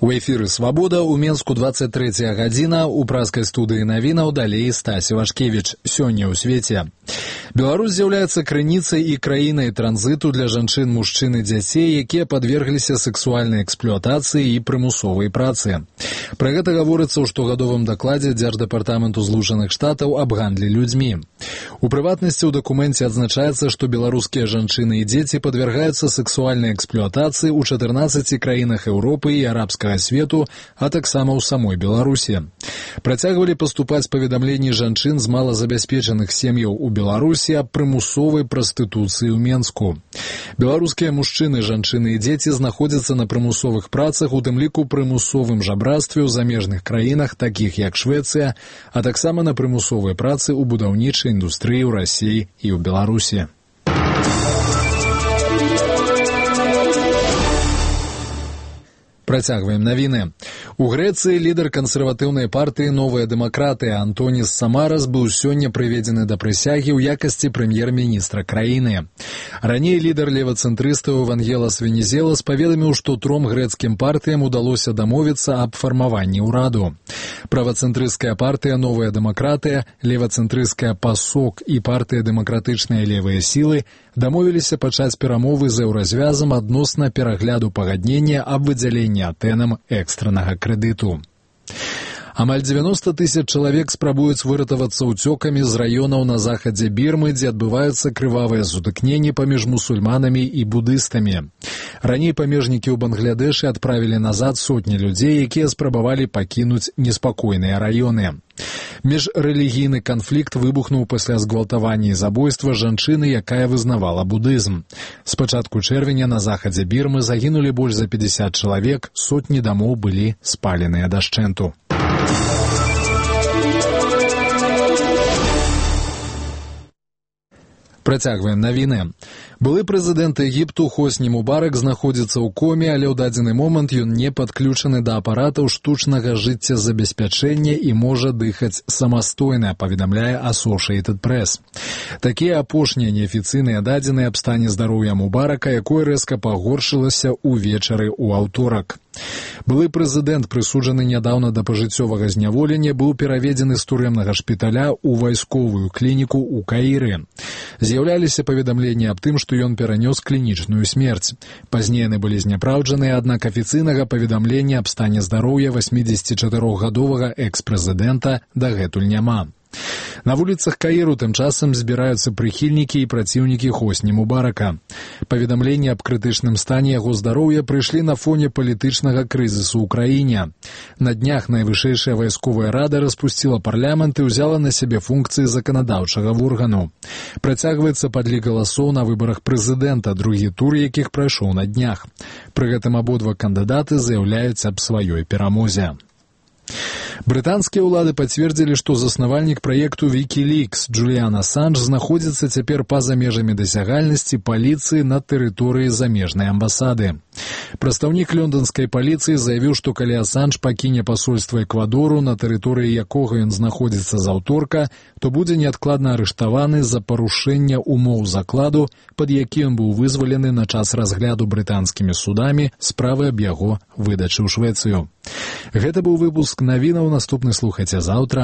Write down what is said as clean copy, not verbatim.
У эфіры «Свабода» ў Менску 23 гадзіна, у праскай студыі навінаў далей Стась Івашкевіч. Сёння ў свеце. Беларусь з'яўляецца крыніцай і краінай транзіту для жанчын, мужчын і дзяцей, якія падвергліся сэксуальнай эксплуатацыі і прымусовай працы. Пра гэта гаворыцца ў штогадовым дакладзе Дзярждэпартаменту Злучаных Штатаў аб гандлі людзьмі. У прыватнасці ў дакуменце адзначаецца, што беларускія жанчыны і дзеці падвяргаюцца сэксуальнай эксплуатацыі ў 14 краінах Еўропы і арабскага свету, а таксама ў самой Беларусі. Працягвалі паступаць паведамленні жанчын з малазабяспечаных сем'яў у Беларусі аб прымусовай прастытуцыі ў Менску. Беларускія мужчыны, жанчыны і дзеці знаходзяцца на прымусовых працах, у тым ліку прымусовым жабрацтве ў замежных краінах, такіх як Швецыя, а таксама на прымусовай працы ў будаўнічай індустрыі ў Расіі і ў Беларусі. Працягваем навіны. У Грэцыі лідар кансерватыўнай партыі «Новая дэмакратыя» Антоніс Самарас быў сёння прыведзены да прысягі ў якасці прэм'ер-міністра краіны. Раней лідар левацэнтрыстаў Евангелас Венізелас паведаміў, што 3 грэцкім партыям удалося дамовіцца аб фармаванні ўраду. Правацэнтрысцкая партыя «Новая дэмакратыя», левацэнтрысцкая «Пасок» і партыя «Дэмакратычныя левыя сілы» дамовіліся пачаць перамовы з еўразвязам адносна перагляду пагаднення аб выдзяленні Атэнам экстраннага крэдыту. Амаль 90 000 чалавек спрабуюць выратавацца ўцёкамі з раёнаў на захадзе Бірмы, дзе адбываюцца крывавыя сутыкненні паміж мусульманамі і будыстамі. Раней памежнікі ў Бангладэшы адправілі назад сотні людзей, якія спрабавалі пакінуць неспакойныя раёны. Міжрэлігійны канфлікт выбухнуў пасля згвалтавання і забойства жанчыны, якая вызнавала будызм. З пачатку чэрвеня на захадзе Бірмы загінулі больш за 50 чалавек, сотні дамоў былі спаленыя дашчэнту. Працягваем навіны. Былы прэзідэнт Егіпту Хосні Мубарак знаходзіцца ў коме, але ў дадзены момант ён не падключаны да апаратаў штучнага жыццезабеспячэння і можа дыхаць самастойна, паведамляе Associated Press. Такія апошнія неафіцыйныя дадзеныя аб стане здароўя Мубарака, якое рэзка пагоршылася ўвечары ў аўторак. Былы прэзідэнт, прысуджаны нядаўна да пажыццёвага зняволення, быў пераведзены з турэмнага шпіталя ў вайсковую клініку ў Каіры. З'яўляліся паведамленні аб тым, што ён перанёс клінічную смерць. Пазней яны былі зняпраўджаныя, аднак афіцыйнага паведамлення аб стане здароўя 84-гадовага экс-прэзідэнта дагэтуль няма. На вуліцах Каіру тым часам збіраюцца прыхільнікі і праціўнікі Хосні Мубарака. Паведамленні аб крытычным стане яго здароўя прыйшлі на фоне палітычнага крызісу ў краіне. На днях найвышэйшая вайсковая рада распусціла парламент і ўзяла на сябе функцыі заканадаўчага органу. Працягваецца падлік галасоў на выбарах прэзідэнта, другі тур якіх прайшоў на днях. Пры гэтым абодва кандыдаты заяўляюць аб сваёй перамозе. Брытанскія ўлады пацвердзілі, што заснавальнік праекту Wikileaks Джуліан Асанж знаходзіцца цяпер па-за межамі дасягальнасці паліцыі на тэрыторыі замежнай амбасады. Прадстаўнік лёнданскай паліцыі заявіў, што калі Асанж пакіне пасольства Эквадору, на тэрыторыі якога ён знаходзіцца з аўторка, то будзе неадкладна арыштаваны за парушэнне умоў закладу, пад які ён быў вызвалены на час разгляду брытанскімі судамі справы аб яго выдачы ў Швецыю. Гэта быў выпуск навінаў, наступны слухайце заўтра.